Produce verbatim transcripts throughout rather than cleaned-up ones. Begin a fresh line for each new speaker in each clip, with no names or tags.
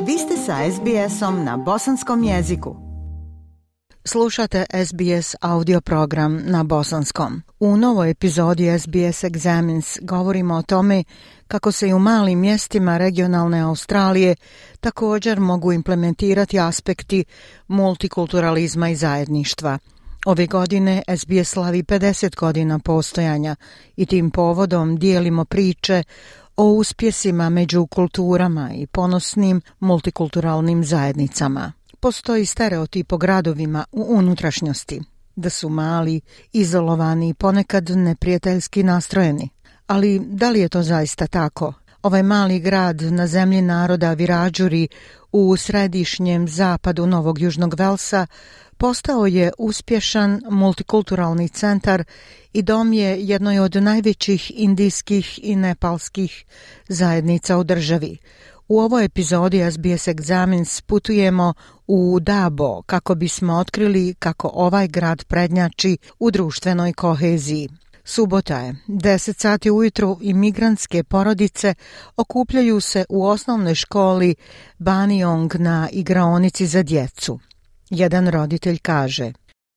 Vi ste sa es bi esom na bosanskom jeziku. Slušate es bi es audio program na bosanskom. U novoj epizodi es bi es Examines govorimo o tome kako se i u malim mjestima regionalne Australije također mogu implementirati aspekti multikulturalizma i zajedništva. Ove godine es bi es slavi pedeset godina postojanja i tim povodom dijelimo priče o uspjesima među kulturama i ponosnim multikulturalnim zajednicama. Postoji stereotip o gradovima u unutrašnjosti, da su mali, izolovani i ponekad neprijateljski nastrojeni. Ali da li je to zaista tako? Ovaj mali grad na zemlji naroda Wiradjuri u središnjem zapadu Novog Južnog Velsa postao je uspješan multikulturalni centar i dom je jednoj od najvećih indijskih i nepalskih zajednica u državi. U ovoj epizodi es bi es Examines putujemo u Dabo kako bismo otkrili kako ovaj grad prednjači u društvenoj koheziji. Subota je, deset sati ujutru i migrantske porodice okupljaju se u osnovnoj školi Baniong na igraonici za djecu. Jedan roditelj kaže: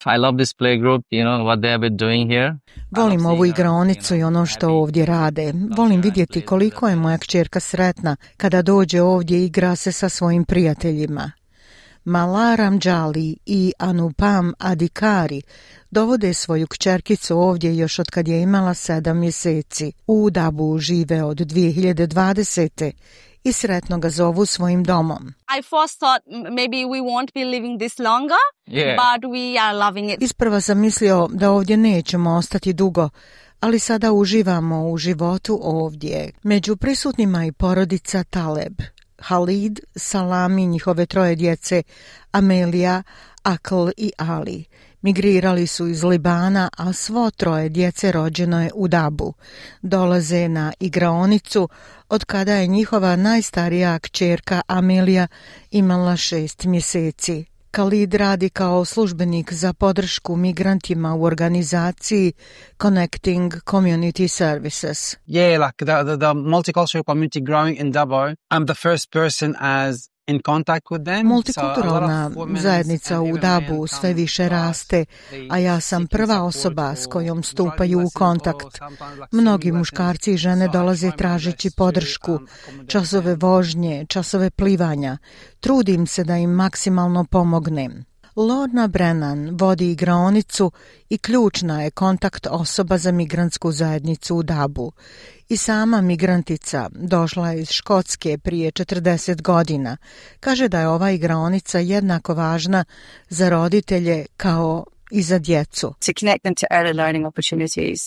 I love this playgroup, you know, what they have been doing here.
Volim ovu igraonicu i ono što ovdje rade. Volim vidjeti koliko je moja kćerka sretna kada dođe ovdje i igra se sa svojim prijateljima. Mala Ramjali i Anupam Adhikari dovode svoju kćerkicu ovdje još od kad je imala sedam mjeseci. U Dabu žive od dvije hiljade dvadesete i sretno ga zovu svojim domom.
I first thought maybe we won't be living this longer, yeah. but we are loving it.
Isprva sam mislio da ovdje nećemo ostati dugo, ali sada uživamo u životu ovdje. Među prisutnima i porodica Taleb. Halid, Salam i njihove troje djece, Amelia, Akl i Ali. Migrirali su iz Libana, a svo troje djece rođeno je u Dabu. Dolaze na igraonicu od kada je njihova najstarija kćerka Amelia imala šest mjeseci. Khalid radi kao službenik za podršku migrantima u organizaciji Connecting Community Services.
Yeah, like the, the, the multicultural community growing in Dabo. I'm the first person as in contact with them.
Multikulturalna zajednica u Dabu sve više raste, a ja sam prva osoba s kojom stupaju u kontakt. Mnogi muškarci i žene dolaze tražeći podršku, časove vožnje, časove plivanja. Trudim se da im maksimalno pomognem. Lorna Brennan vodi igraonicu i ključna je kontakt osoba za migrantsku zajednicu u Dabu. I sama migrantica došla je iz Škotske prije četrdeset godina. Kaže da je ova igraonica jednako važna za roditelje kao i za djecu.
To connect them to early learning opportunities.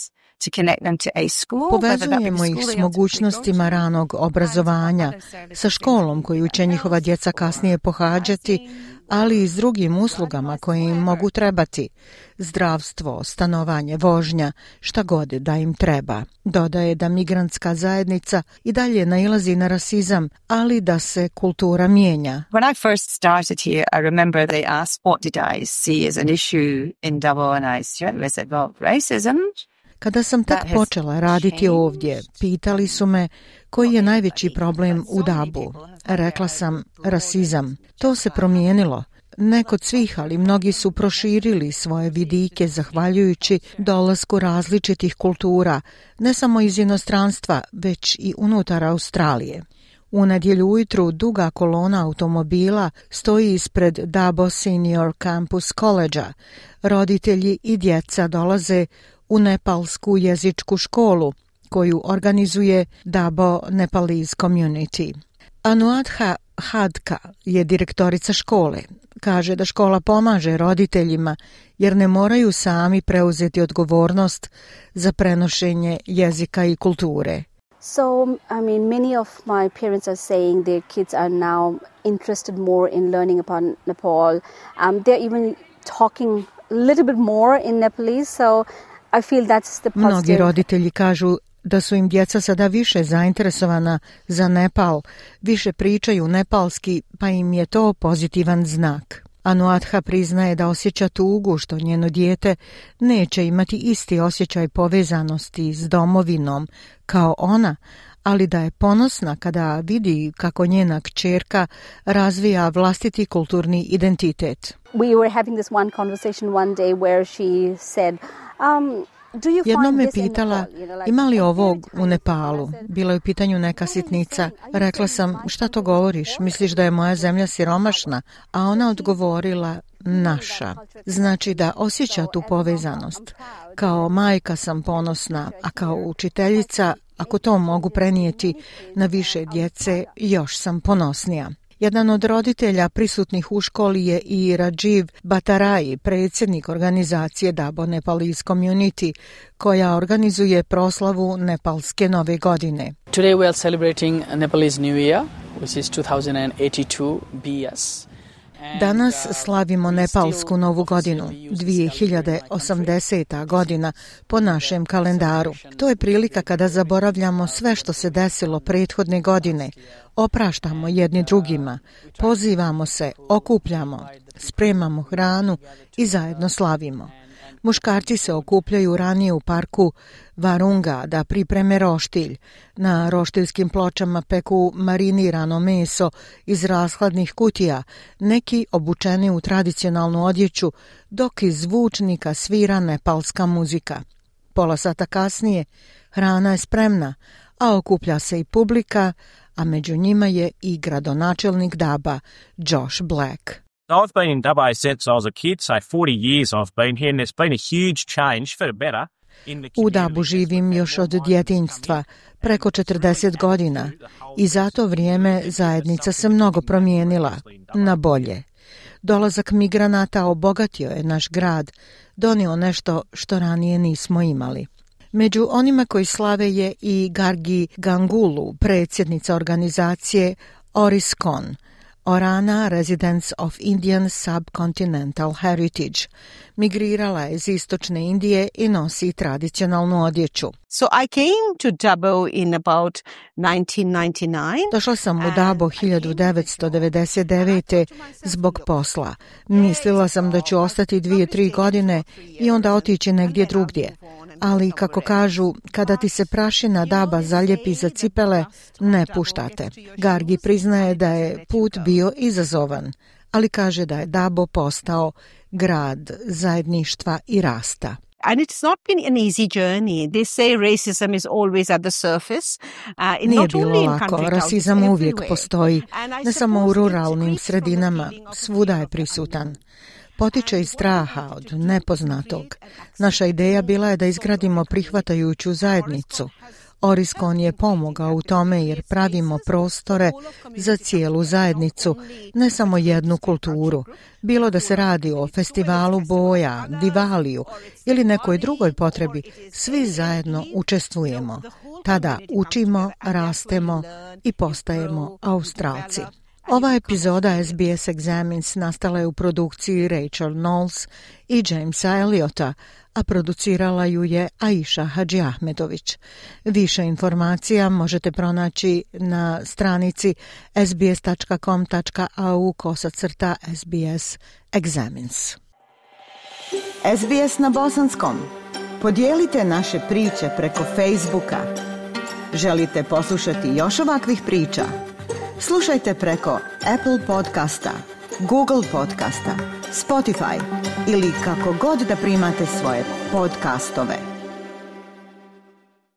Povezujemo ih s mogućnostima ranog obrazovanja, sa školom koju će njihova djeca kasnije pohađati, ali i s drugim uslugama koje im mogu trebati. Zdravstvo, stanovanje, vožnja, šta god da im treba. Dodaje da migrantska zajednica i dalje nailazi na rasizam, ali da se kultura mijenja.
When I first started here, I remember they asked what did I see as an issue in Dabo, and I said, well, racism.
Kada sam tek počela raditi ovdje, pitali su me koji je najveći problem u Dabu. Rekla sam rasizam. To se promijenilo. Ne kod svih, ali mnogi su proširili svoje vidike zahvaljujući dolasku različitih kultura, ne samo iz inostranstva, već i unutar Australije. U nedjelju ujutru duga kolona automobila stoji ispred Dabo Senior Campus College-a. Roditelji i djeca dolaze u nepalsku jezičku školu koju organizuje Dabo Nepalese Community. Anuadha Hadka je direktorica škole. Kaže da škola pomaže roditeljima jer ne moraju sami preuzeti odgovornost za prenošenje jezika i kulture.
So, I mean, many of my parents are saying their kids are now interested more in learning about Nepal. Um, they're even talking a little bit more in Nepalese, so I feel that's the positive.
Mnogi roditelji kažu da su im djeca sada više zainteresovana za Nepal, više pričaju nepalski, pa im je to pozitivan znak. Anuadha priznaje da osjeća tugu što njeno dijete neće imati isti osjećaj povezanosti s domovinom kao ona, ali da je ponosna kada vidi kako njena kćerka razvija vlastiti kulturni identitet.
We were having this one conversation one day where she said, um,
Jednom me pitala, ima li ovog u Nepalu? Bila je u pitanju neka sitnica. Rekla sam, šta to govoriš? Misliš da je moja zemlja siromašna? A ona odgovorila, naša. Znači da osjeća tu povezanost. Kao majka sam ponosna, a kao učiteljica, ako to mogu prenijeti na više djece, još sam ponosnija. Jedan od roditelja prisutnih u školi je i Rajiv Bhattarai, predsjednik organizacije Dabo Nepalese Community, koja organizuje proslavu Nepalske nove godine.
Today we are celebrating Nepalese New Year, which is two thousand eighty-two B S.
Danas slavimo Nepalsku novu godinu, dvije hiljade osamdeseta godina po našem kalendaru. To je prilika kada zaboravljamo sve što se desilo prethodne godine, opraštamo jedni drugima, pozivamo se, okupljamo, spremamo hranu i zajedno slavimo. Muškarci se okupljaju ranije u parku Varunga da pripreme roštilj. Na roštiljskim pločama peku marinirano meso iz rashladnih kutija, neki obučeni u tradicionalnu odjeću, dok iz zvučnika svira nepalska muzika. Pola sata kasnije hrana je spremna, a okuplja se i publika, a među njima je i gradonačelnik Daba, Josh Black.
I've been in Dubbo since I was a kid, so forty years I've been here, and there's been a huge change for the better.
U Dabu živim još od djetinjstva, preko četrdeset godina, i za to vrijeme zajednica se mnogo promijenila, na bolje. Dolazak migranata obogatio je naš grad, donio nešto što ranije nismo imali. Među onima koji slave je i Gargi Gangulu, predsjednica organizacije Oriskon, Orana Residents of Indian Subcontinental Heritage. Migrirala je iz istočne Indije i nosi tradicionalnu odjeću.
So I came to Dabo in about nineteen ninety-nine.
Došla sam u Dabo hiljadu devetsto devedeset devete zbog posla. Mislila sam da ću ostati dvije, tri godine i onda otići negdje drugdje. Ali, kako kažu, kada ti se prašina Daba zaljepi za cipele, ne puštate. Gargi priznaje da je put bio izazovan, ali kaže da je Dabo postao grad zajedništva i rasta.
And it's not been an easy journey. They say racism is always at the surface. Uh,
Nije bilo lako, rasizam uvijek postoji, ne samo u ruralnim sredinama, svuda je prisutan. Potiče iz straha od nepoznatog. Naša ideja bila je da izgradimo prihvatajuću zajednicu. Oriskon je pomogao u tome jer pravimo prostore za cijelu zajednicu, ne samo jednu kulturu. Bilo da se radi o festivalu boja, Divaliju ili nekoj drugoj potrebi, svi zajedno učestvujemo. Tada učimo, rastemo i postajemo Australci. Ova epizoda S B S Examines nastala je u produkciji Rachel Knowles i Jamesa Eliota, a producirala ju je Aisha Hadži Ahmetović. Više informacija možete pronaći na stranici sbs.com.au kosacrta SBS Examines.
S B S na bosanskom. Podijelite naše priče preko Facebooka. Želite poslušati još ovakvih priča? Slušajte preko Apple podcasta, Google podcasta, Spotify ili kako god da primate svoje podcastove.